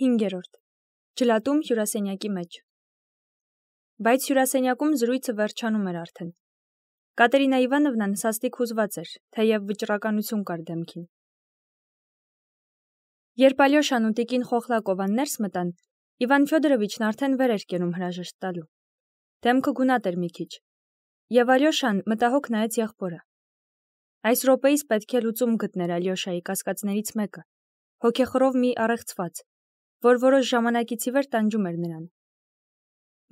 5. Ջլատում հյուրասենյակի մեջ։ Բայց հյուրասենյակում զրույցը վերջանում էր արդեն։ Կատերինա Իվանովնան սաստիկ հուզված էր, թեև վճռականություն կար դեմքին։ Երբ Ալյոշան ու տիկին Խոխլակովան ներս մտան, Իվան Ֆյոդորովիչն արդեն վեր էր կենում հրաժեշտ տալու։ Դեմքը գունատ էր մի քիչ, եւ Ալյոշան մտահոգ նայեց եղբորը։ Այս րոպեից պետք է լուծում գտներ Ալյոշայի կասկածներից մեկը, հոգեխռով մի առեղծված, որ որոշ ժամանակից ի վեր տանջում էր նրան։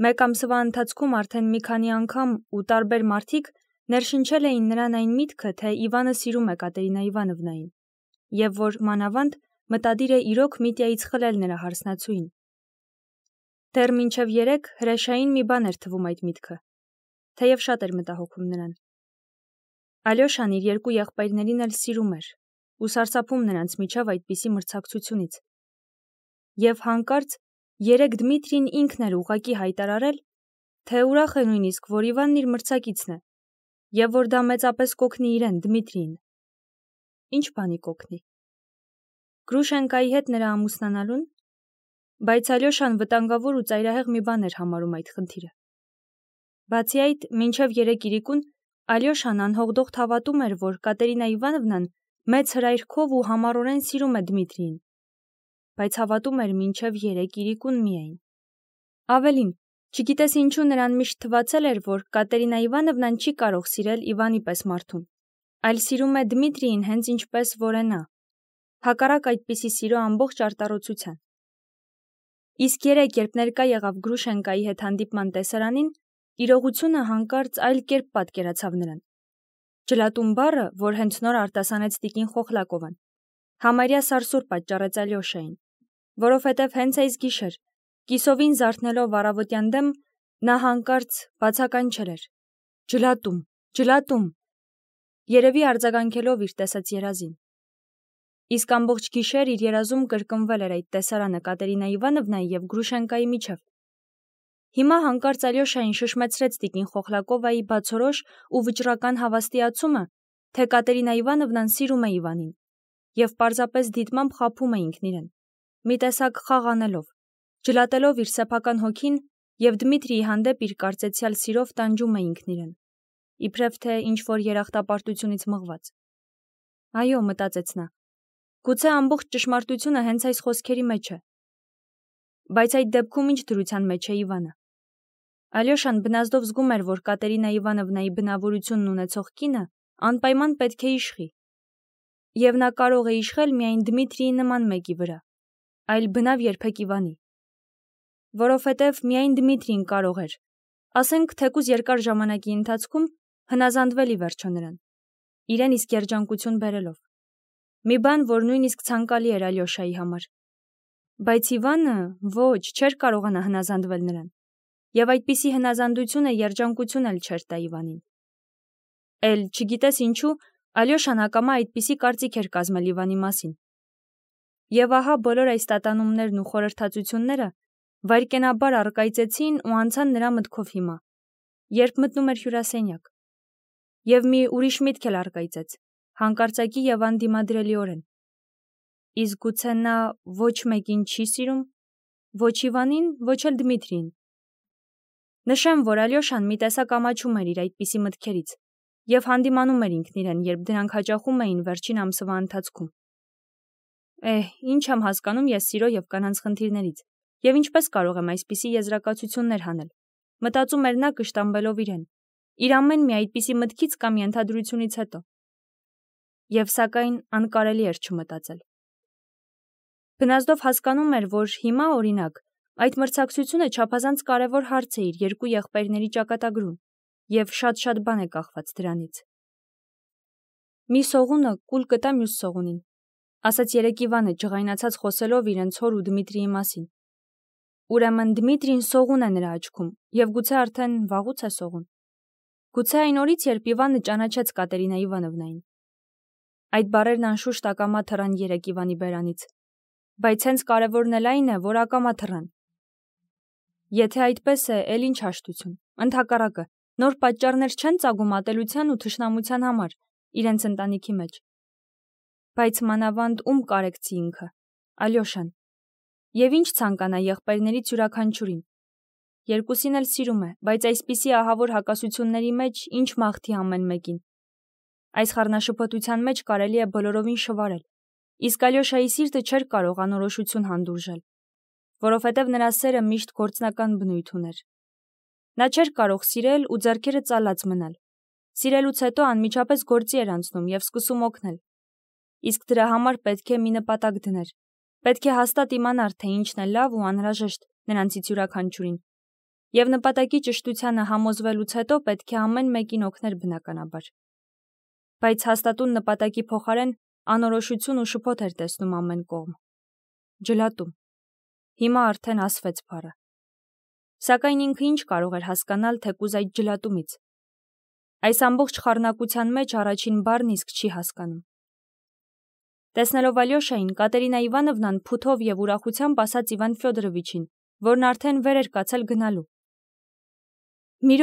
Մեկ ամսվա ընթացքում արդեն մի քանի անգամ ու տարբեր մարդիկ ներշնչել էին նրան այն միտքը, թե Իվանը սիրում է Կատերինա Իվանովնային, եւ որ մանավանդ մտադիր է իրոք Միտյայից խլել նրա հարսնացուին։ Դեռ մինչև 3 հրեշային մի բան էր թվում այդ միտքը, թեև շատ էր մտահոգում նրան։ Ալյոշան իր երկու եղբայրներին էլ սիրում էր ու սարսափում նրանց միջև այդպիսի մրցակցությունից։ Եվ հանկարծ 3 Դմիտրին ինքն էր ուղղակի հայտարարել, թե ուրախ է նույնիսկ, որ Իվանն իր մրցակիցն է, եւ որ դա մեծապես կօգնի իրեն, Դմիտրիին։ Ինչ բանի կօգնի։ Գրուշենկայի հետ նրա ամուսնանալուն, բայց Ալյոշան վտանգավոր ու ծայրահեղ մի բան էր համարում այդ խնդիրը։ Բացի այդ, մինչև 3 իրիկուն Ալյոշան անհողդողդ հավատում էր, որ Կատերինա Իվանովնան մեծ հրայրքով ու համառորեն սիրում է Դմիտրիին, բայց հավատում էր մինչև 3 իրիկուն միայն։ Ավելին, չգիտես ինչու նրան միշտ թվացել էր, որ Կատերինա Իվանովնան չի կարող սիրել Իվանի պես մարդուն, այլ սիրում է Դմիտրիին հենց ինչպես որ է նա, հակառակ այդպիսի սիրո ամբողջ արտառոցության։ Իսկ 3 երբ ներկա եղավ Գրուշենկայի հետ հանդիպման տեսարանին, իրողությունը հանկարծ այլ կերպ պատկերացավ նրան։ Ջլատում բառը, որ հենց նոր արտասանեց տիկին Խոխլակովան, համարյա սարսուռ պատճառեց Ալյոշային, որովհետև հենց այս գիշեր, կիսովին զարթնելով առավոտյան դեմ, նա հանկարծ բացականչել էր. «Ջլատում, ջլատում», երևի արձագանքելով իր տեսած երազին։ Իսկ ամբողջ գիշեր իր երազում կրկնվել էր այդ տեսարանը Կատերինա Իվանովնայի և Գրուշենկայի միջև։ Հիմա հանկարծ Ալյոշային շշմեցրեց տիկին Խոխլակովայի բացորոշ ու վճռական հավաստիացումը, թե Կատերինա Իվանովնան սիրում է Իվանին, եւ պարզապես դիտմամբ խաբում է ինքն իրեն, մի տեսակ խաղ անելով, ջլատելով իր սեփական հոգին եւ Դմիտրիի հանդեպ իր կարծեցյալ սիրով տանջում է ինքն իրեն, իբրև թե ինչ-որ երախտապարտությունից մղված։ Այո, մտածեց նա, գուցե ամբողջ ճշմարտությունը հենց այս խոսքերի մեջ է։ Բայց այդ դեպքում ինչ դրության մեջ է Իվանը։ Ալյոշան բնազդով զգում էր, որ Կատերինա Իվանովնայի բնավորությունն ունեցող կինը անպայման պետք է իշխի։ Եվ նա կարող է իշխել միայն Դմիտրիի նման մեկի վրա, այլ բնավ երբեք Իվանի։ Որովհետև միայն Դմիտրին կարող էր, ասենք թեկուզ երկար ժամանակի ընթացքում, հնազանդվել ի վերջո նրան, իրեն իսկ երջանկություն բերելով։ Մի բան, որ նույնիսկ ցանկալի էր Ալյոշայի համար։ Բայց Իվանը ոչ, չէր կարողանա հնազանդվել նրան, եւ այդպիսի հնազանդությունը երջանկություն էլ չէր տա Իվանին։ Էլ չգիտես ինչու, Ալյոշան ակամա այդպիսի կարծիք էր կազմել Իվանի մասին։ Եվ ահա բոլոր այս տատանումներն ու խորհրդածությունները վայրկենաբար առկայծեցին ու անցան նրա մտքով հիմա, երբ մտնում էր հյուրասենյակ։ Եվ մի ուրիշ միտք էլ առկայծեց, հանկարծակի եւ անդիմադրելիորեն։ Իսկ գուցե նա ոչ մեկին չի սիրում, ոչ Իվանին, ոչ էլ Դմիտրիին։ Նշեմ, որ Ալյոշան մի տեսակ ամաչում էր իր այդպիսի մտքերից եւ հանդիմանում էր ինքն իրեն, երբ դրանք հաճախում էին վերջին ամսվա ընթացքում։ Ինչ եմ հասկանում ես սիրո եւ կանանց խնդիրներից, եւ ինչպես կարող եմ այսպիսի եզրակացություններ հանել, մտածում էր նա կշտամբելով իրեն, իր ամեն մի այդպիսի մտքից կամ ենթադրությունից հետո։ Եվ սակայն անկարելի էր չմտածել։ Բնազդով հասկանում էր, որ հիմա, օրինակ, այդ մրցակցությունը չափազանց կարևոր հարց է իր երկու եղբայրների ճակատագրում, եւ շատ բան է կախված դրանից։ Մի սողունը կուլ կտա մյուս սողունին, ասաց երեկ Իվանը ջղայնացած խոսելով իրենց հոր ու Դմիտրիի մասին։ Ուրեմն Դմիտրին սողուն է նրա աչքում, եւ գուցե արդեն վաղուց է սողուն։ Գուցե այն օրից, երբ Իվանը ճանաչեց Կատերինա Իվանովնային։ Այդ բառերն անշուշտ ակամա թռան երեկ Իվանի բերանից, բայց հենց կարևորն էլ այն է, որ ակամա թռան։ Եթե այդպես է, էլ ինչ հաշտություն, ընդհակառակը, նոր պատճառներ չեն ծագում ատելության ու թշնամության համար իրենց ընտանիքի մեջ։ Բայց մանավանդ ում կարեկցի ինքը, Ալյոշան։ Եվ ինչ ցանկանա եղբայրներից յուրաքանչյուրին։ Երկուսին էլ սիրում է, բայց այսպիսի ահավոր հակասությունների մեջ ինչ մաղթի ամեն մեկին։ Այս խառնաշփոթության մեջ կարելի է բոլորովին շվարել, իսկ Ալյոշայի սիրտը չէր կարող անորոշություն հանդուրժել, որովհետև նրա սերը միշտ գործնական բնույթ ուներ։ Նա չէր կարող սիրել ու ձեռքերը ծալած մնալ։ Սիրելուց հետո անմիջապես գործի էր անցնում եւ սկսում օգնել։ Իսկ դրա համար պետք է մի նպատակ դներ։ Պետք է հաստատ իմանար, թե ինչն է լավ ու անհրաժեշտ նրանցից յուրաքանչյուրին։ Եվ նպատակի ճշտությանը համոզվելուց հետո պետք է ամեն մեկին օգներ բնականաբար։ Բայց հաստատուն նպատակի փոխարեն անորոշություն ու շփոթ էր տեսնում ամեն կողմ։ Ջլատում։ Հիմա արդեն ասվեց բառը։ Սակայն ինքը ինչ կարող էր հասկանալ թեկուզ այդ ջլատումից։ Այս ամբողջ խառնակության մեջ առաջին բառն իսկ չի հասկանում։ Տեսնելով Ալյոշային, Կատերինա Իվանովնան փութով եւ ուրախությամբ ասաց Իվան Ֆյոդորովիչին, որն արդեն վեր էր կացել գնալու. Մի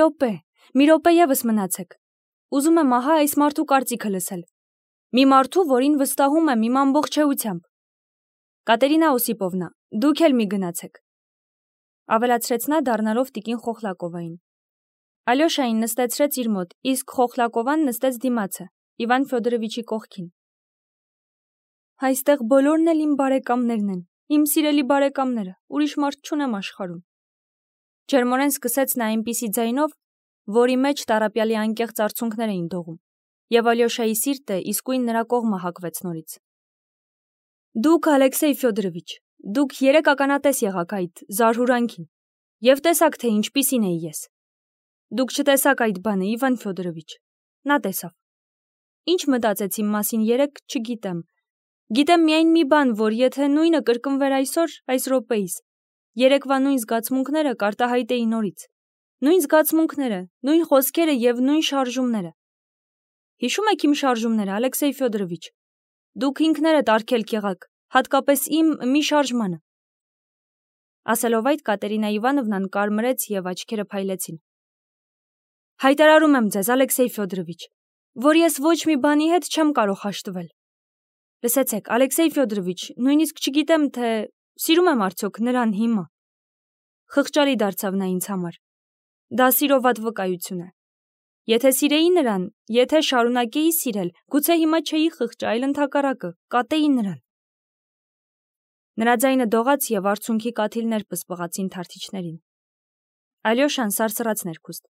րոպե եւս մնացեք։ Ուզում եմ ահա այս մարդու կարծիքը լսել։ Մի մարդու, որին վստահում եմ իմ ամբողջ էությամբ։ Կատերինա Օսիպովնա, դուք էլ մի գնացեք։ Ավելացրեց նա դառնալով տիկին Խոխլակովային։ Ալյոշային նստեցրեց իր մոտ, իսկ Խոխլակովան նստեց դիմացը, Իվան Ֆյոդորովիչի կողքին։ Այստեղ բոլորն էլ իմ բարեկամներն են, իմ սիրելի բարեկամները, ուրիշ մարդ չունեմ աշխարհում։ Ջերմորեն սկսեց նա այնպիսի ձայնով, որի մեջ Տարապյալի անկեղծ արցունքներ էին դողում, եւ Ալյոշայի սիրտը իսկույն նրա կողմը հակվեց նորից։ Դուք, Ալեքսեյ Ֆյոդորովիչ, դուք երեք ականատես եղաք այդ զարհուրանքին, եւ տեսաք, թե ինչպիսին էի ես։ Դուք չտեսաք այդ բանը, Իվան Ֆյոդորովիչ։ Նա տեսավ։ Ինչ մտածեց իմ մասին երեք, չգիտեմ։ Գիտեմ միայն մի բան, որ եթե նույնը կրկնվեր այսօր, այս րոպեիս, երեկվա նույն զգացմունքները կարտահայտեի նորից։ Նույն զգացմունքները, նույն խոսքերը եւ նույն շարժումները։ Հիշում եք իմ շարժումները, Ալեքսեյ Ֆյոդորովիչ։ Դուք ինքներդ արգելք եղաք, հատկապես իմ մի շարժմանը։ Ասելով այդ, Կատերինա Իվանովնան կարմրեց եւ աչքերը փայլեցին։ Հայտարարում եմ ձեզ, Ալեքսեյ Ֆյոդորովիչ, որ ես ոչ մի բանի հետ չեմ կարող հաշտվել։ Լսեցեք, Ալեքսեյ Ֆյոդորովիչ, նույնիսկ չգիտեմ, թե սիրում եմ արդյոք նրան հիմա։ Խղճալի դարձավ նա ինձ համար։ Դա սիրով վատ վկայություն է։ Եթե սիրեի նրան, եթե շարունակեի սիրել, գուցե հիմա չէի խղճ, այլ ընդհակառակը, կատեի նրան։ Նրա ձայնը դողաց եւ արցունքի կաթիլներ պսպղացին թարթիչներին։ Ալյոշան սարսռաց ներքուստ։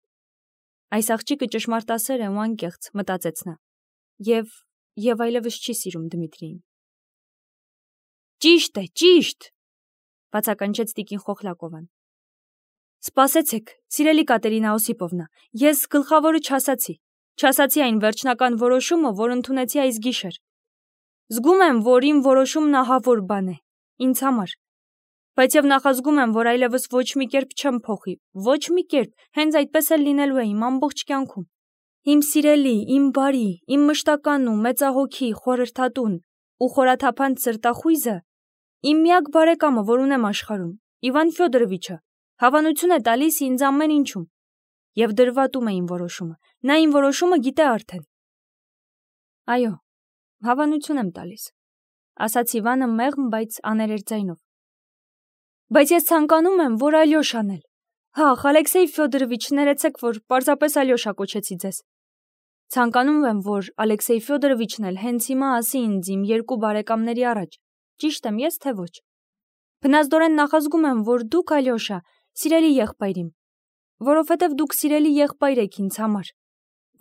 Այս աղջիկը ճշմարտասեր է ու անկեղծ, մտածեց նա։ Եվ այլևս չի սիրում Դմիտրիին։ Ճիշտ է, ճիշտ, բացականչեց տիկին Խոխլակովան։ Սպասեցեք, սիրելի Կատերինա Օսիպովնա, ես գլխավորը չասացի այն վերջնական որոշումը, որ ընդունեցի այս գիշեր։ Զգում եմ, որ իմ որոշումն ահավոր բան է, ինձ համար, բայց եւ նախազգում եմ, որ այլևս ոչ մի կերպ չեմ փոխի, ոչ մի կերպ, հենց այդպես էլ լինելու է իմ ամբողջ կյանքում։ Իմ սիրելի, իմ բարի, իմ մշտական ու մեծահոգի խորհրդատուն ու խորաթափանց սրտախույզը, իմ միակ բարեկամը, որ ունեմ աշխարհում, Իվան Ֆյոդորովիչը, հավանություն է տալիս ինձ ամեն ինչում, եւ դրվատում է իմ որոշումը, նա իմ որոշումը գիտե արդեն։ Այո, հավանություն եմ տալիս, ասաց Իվանը մեղմ, բայց աներեր ձայնով։ Բայց ես ցանկանում եմ, որ Ալյոշան էլ։ Հա, Ալեքսեյ Ֆյոդորովիչ, ներեցեք, որ պարզապես Ալյոշա կոչեցի ձեզ։ Ցանկանում եմ, որ Ալեքսեյ Ֆյոդորովիչն էլ հենց հիմա ասի ինձ իմ երկու բարեկամների առաջ, ճիշտ եմ ես թե ոչ։ Բնազդորեն նախազգում եմ, որ դուք, Ալյոշա, սիրելի եղբայր իմ, որովհետև դուք սիրելի եղբայր եք ինձ համար։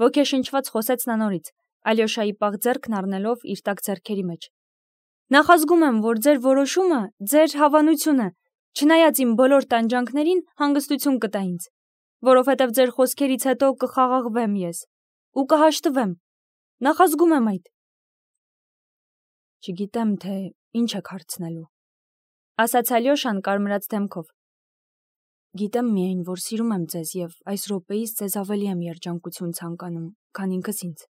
Ոգեշնչված խոսեց նա նորից, Ալյոշայի պաղ ձեռքն առնելով իր տակ ձեռքերի մեջ։ Նախազգում եմ, որ ձեր որոշումը, ձեր հավանությունը, չնայած իմ բոլոր տանջանքներին, հանգստություն կտա ինձ, որովհետև ձեր խոսքերից հետո կխաղաղվեմ ես ու կհաշտվեմ։ Նախազգում եմ այդ։ Չգիտեմ, թե ինչ եք հարցնելու, ասաց Ալյոշան կարմրած դեմքով։ Գիտեմ միայն, որ սիրում եմ ձեզ եւ այս րոպեից ձեզ ավելի եմ երջանկություն ցանկանում, քան ինքս ինձ։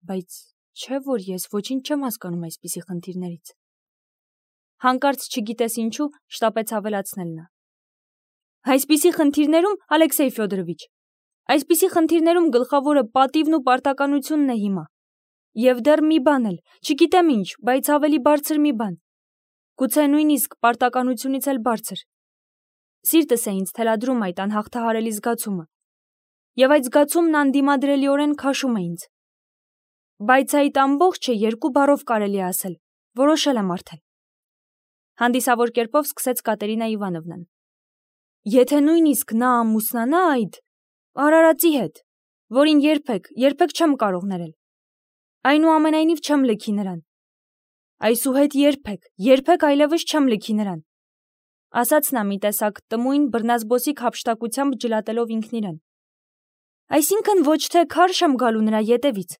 Բայց չէ՞ որ ես ոչինչ չեմ հասկանում այսպիսի խնդիրներից։ Հանկարծ չգիտես ինչու շտապեց ավելացնել նա։ Այսպիսի խնդիրներում, Ալեքսեյ Ֆյոդորովիչ, այսպիսի խնդիրներում գլխավորը պատիվն ու պարտականությունն է հիմա։ Եվ դեռ մի բան էլ, չգիտեմ ինչ, բայց ավելի բարձր մի բան։ գուցե նույնիսկ պարտականությունից էլ բարձր։ Սիրտս է ինձ թելադրում այդ անհաղթահարելի զգացումը, եւ այդ զգացումն անդիմադրելիորեն քաշում է ինձ։ Բայց այդ ամբողջը երկու բառով կարելի է ասել, որոշել եմ արդեն։ Հանդիսավոր կերպով սկսեց Կատերինա Իվանովնան։ Եթե նույնիսկ նա ամուսնանա այդ արարածի հետ, որին երբեք չեմ կարող ներել, այնուամենայնիվ չեմ լքի նրան։ Այսուհետ երբեք այլևս չեմ լքի նրան, ասաց նա մի տեսակ տմույն բռնազբոսիկ հափշտակությամբ ջլատելով ինքն իրեն։ Այսինքն ոչ թե քարշ եմ գալու նրա ետևից,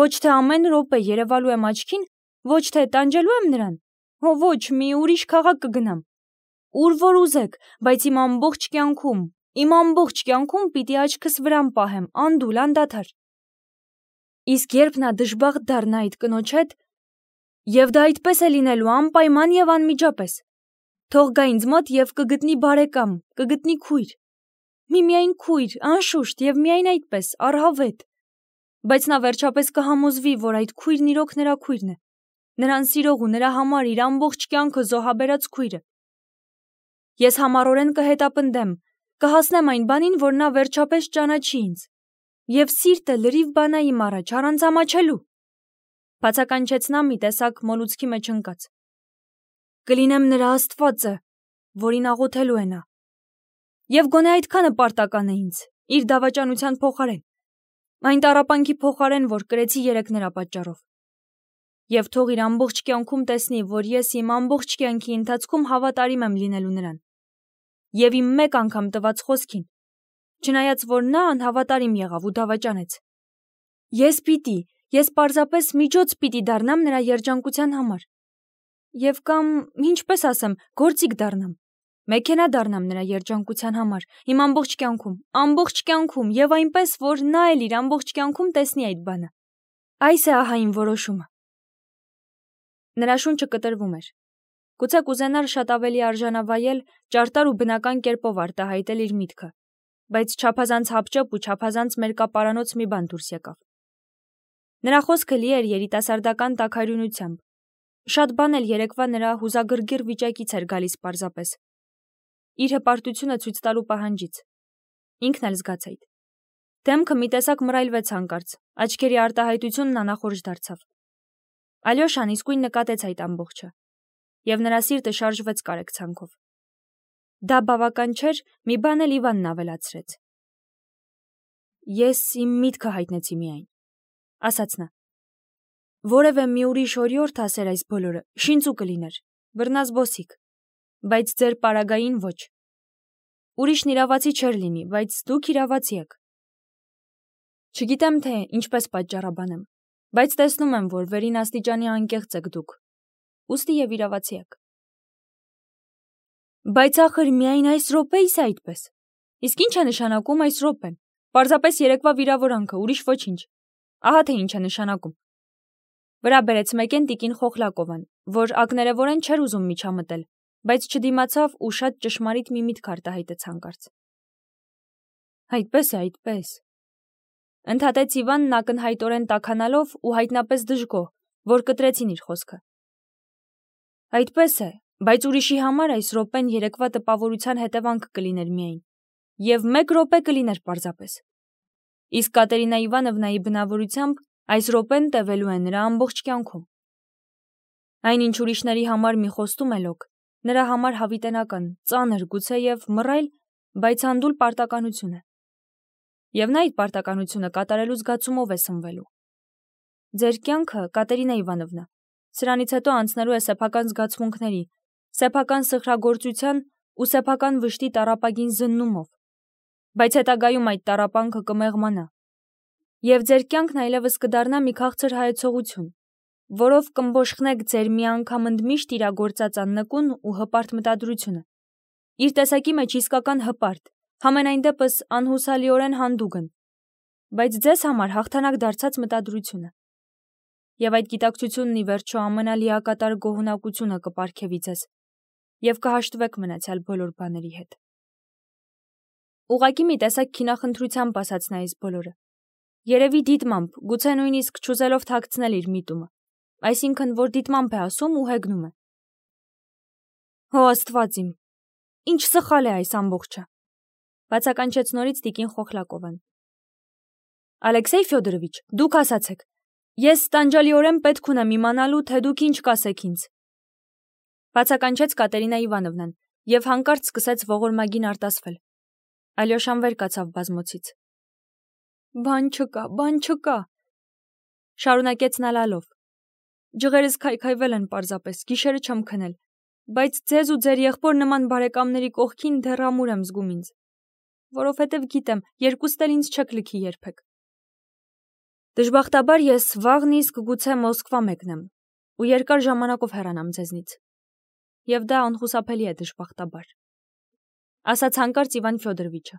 ոչ թե ամեն րոպե երևալու եմ աչքին, ոչ թե տանջելու եմ նրան, հո ոչ, մի ուրիշ քաղաք կգնամ, ուր որ ուզեք, բայց իմ ամբողջ կյանքում պիտի աչքս վրան պահեմ, անդուլ, անդադար։ Իսկ երբ նա դժբախտ դառնա այդ կնոջ հետ, եւ դա այդպես է լինելու անպայման եւ անմիջապես, թող գա ինձ մոտ եւ կգտնի բարեկամ, կգտնի քույր, միմիայն քույր, անշուշտ եւ միայն այդպես, առհավետ, բայց նա վերջապես կհամոզվի, որ այդ քույրն իրոք նրա քույրն է, նրան սիրող ու նրա համար իր ամբողջ կյանքը զոհաբերած քույրը։ Ես համառորեն կհետապնդեմ, կհասնեմ այն բանին, որ նա վերջապես ճանաչի ինձ, եւ սիրտը լրիվ բանա իմ առաջ, առանց ամաչելու, բացականչեց նա մի տեսակ մոլուցքի մեջ ընկած։ Կլինեմ նրա Աստվածը, որին աղոթելու է նա։ Եվ գոնե այդքանը պարտական է ինձ, իր դավաճանության փոխարեն, այն տառապանքի փոխարեն, որ կրեցի երեկ նրա պատճառով։ Եվ թող իր ամբողջ կյանքում տեսնի, որ ես իմ ամբողջ կյանքի ընթացքում հավատարիմ եմ լինելու նրան։ Եվ իմ մեկ անգամ տված խոսքին, չնայած որ նա անհավատարիմ եղավ ու դավաճանեց։ Ես պարզապես միջոց պիտի դառնամ նրա երջանկության համար։ Եվ կամ, ինչպես ասեմ, գործիք դառնամ, մեքենա դառնամ նրա երջանկության համար, իմ ամբողջ կյանքում, եւ այնպես, որ նա էլ իր ամբողջ կյանքում տեսնի այդ բանը։ Այս է ահա իմ որոշումը։ Նրա շունչը կտրվում էր։ Գուցե կուզենար շատ ավելի արժանավայել, ճարտար ու բնական կերպով արտահայտել իր միտքը, բայց չափազանց հապճեպ ու չափազանց մերկապարանոց մի բան դուրս եկավ։ Նրա խոսքը լի էր երիտասարդական տաքարյունությամբ։ Շատ բան էլ երեկվա նրա հուզագրգիռ վիճակից էր գալիս պարզապես։ Իր հպարտությունը ցույց տալու պահանջից։ Ինքն էլ զգաց այդ։ Դեմքը մի տեսակ մռայլվեց հանկարծ, աչքերի արտահայտությունն անախորժ դարձավ։ Ալյոշան իսկույն նկատեց այդ ամբողջը, եւ նրա սիրտը շարժվեց կարեկցանքով։ Դա բավական չէր, մի բան էլ Իվանն ավելացրեց։ Ես իմ միտքը հայտնեցի միայն, ասաց նա։ Որևէ մի ուրիշ օրիորդ ասեր այս բոլորը, շինծու կլիներ, բռնազբոսիկ, բայց ձեր պարագային ոչ։ Ուրիշն իրավացի չէր լինի, բայց դուք իրավացի եք։ Չգիտեմ, թե ինչպես պատճառաբանեմ, բայց տեսնում եմ, որ վերին աստիճանի անկեղծ եք դուք, ուստի եւ իրավացի եք։ Բայց ախր միայն այս րոպեիս է այդպես։ Իսկ ինչ է նշանակում այս րոպեն։ Պարզապես երեկվա վիրավորանքը, ուրիշ ոչինչ։ Ահա թե ինչ է նշանակում։ Վրա բերեց մեկեն տիկին Խոխլակովան, որ ակներևորեն չէր ուզում միջամտել, բայց չդիմացավ ու շատ ճշմարիտ մի միտք արտահայտեց հանկարծ։ Այդպես է, այդպես։ Ընդհատեց Իվանն ակնհայտորեն տաքանալով ու հայտնապես դժգոհ, որ կտրեցին իր խոսքը։ Այդպես է, բայց ուրիշի համար այս րոպեն երեկվա տպավորության հետևանք կլիներ միայն, եւ 1 րոպե կլիներ պարզապես։ Իսկ Կատերինա Իվանովնայի բնավորությամբ այս րոպեն տևելու է նրա ամբողջ կյանքում։ Այնինչ ուրիշների համար մի խոստում է լոկ, նրա համար հավիտենական, ծանր, գուցե եւ մռայլ, բայց անդուլ պարտականություն է։ Եվ նա այդ պարտականությունը կատարելու զգացումով է սնվելու։ Ձեր կյանքը, Կատերինա Իվանովնա, սրանից հետո անցնելու է սեփական զգացմունքների, սեփական սխրագործության ու սեփական վշտի տառապագին զննումով, բայց հետագայում այդ տառապանքը կմեղմանա, եւ ձեր կյանքն այլևս կդառնա մի քաղցր հայեցողություն, որով կմբոշխնեք ձեր մի անգամ ընդմիշտ իրագործած աննկուն ու հպարտ մտադրությունը, իր տեսակի մեջ իսկական հպարտ, համենայն դեպս անհուսալիորեն հանդուգն, բայց ձեզ համար հաղթանակ դարձած մտադրությունը, եւ այդ գիտակցությունն ի վերջո ամենալիակատար գոհունակությունը կպարգևի ձեզ, եւ կհաշտվեք մնացյալ բոլոր բաների հետ։ Ուղղակի մի տեսակ քինախնդրությամբ ասաց նա այս բոլորը։ Երևի դիտմամբ, գուցե նույնիսկ չուզելով թաքցնել իր միտումը, այսինքն որ դիտմամբ է ասում ու հեգնում է։ Հո Աստված իմ, ինչ սխալ է այս ամբողջը, բացականչեց նորից տիկին Խոխլակովան։ Ալեքսեյ Ֆյոդորովիչ, դուք ասացեք, ես տանջալիորեն պետք ունեմ իմանալու, թե դուք ինչ կասեք ինձ։ Բացականչեց Կատերինա Իվանովնան եւ հանկարծ սկսեց ողորմագին արտասվել։ Ալյոշան վեր կացավ բազմոցից։ Բան չկա, շարունակեց նա լալով։ Ջղերս քայքայվել են պարզապես, գիշերը չեմ քնել, բայց ձեզ ու ձեր եղբոր նման բարեկամների կողքին դեռ ամուր եմ զգում ինձ, որովհետև գիտեմ, երկուստ էլ ինձ չեք լքի երբեք։ Դժբախտաբար ես վաղն իսկ գուցե Մոսկվա մեկնեմ ու երկար ժամանակով հեռանամ ձեզնից։ Եվ դա անխուսափելի է դժբախտաբար, ասաց հանկարծ Իվան Ֆյոդորովիչը։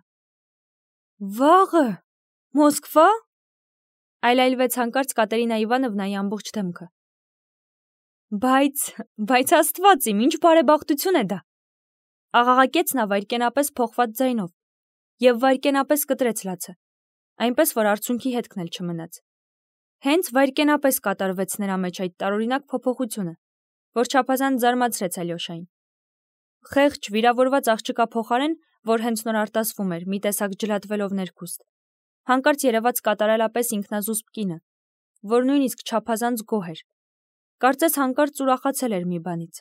Վաղը, Մոսկվա, այլայլվեց հանկարծ Կատերինա Իվանովնայի ամբողջ դեմքը։ Բայց Աստված իմ, ինչ բարեբախտություն է դա, աղաղակեց նա վայրկենապես փոխված ձայնով եւ վայրկենապես կտրեց լացը, այնպես որ արցունքի հետքն էլ չմնաց։ Հենց վայրկենապես կատարվեց նրա մեջ այդ տարօրինակ փոփոխությունը, որ չափազանց զարմացրեց Ալյոշային։ Խեղճ վիրավորված աղջկա փոխարեն, որ հենց նոր արտասվում էր, մի տեսակ ջլատվելով ներքուստ, հանկարծ երևաց կատարելապես ինքնազուսպ կինը, որ նույնիսկ չափազանց գոհ էր, կարծես հանկարծ ուրախացել էր մի բանից։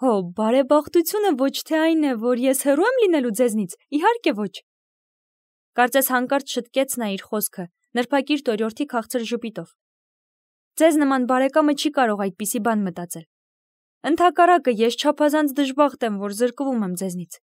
Հո, բարեբախտությունը ոչ թե այն է, որ ես հեռու եմ լինելու ձեզնից, իհարկե ոչ։ Կարծես հանկարծ շտկեց նա իր խոսքը, նրբակիրթ օրիորդի քաղցր ժպիտով։ Ձեզ նման բարեկամը չի կարող այդպիսի բան մտածել։ Ընդհակառակը ես չափազանց դժբախտ եմ, որ զրկվում եմ ձեզնից։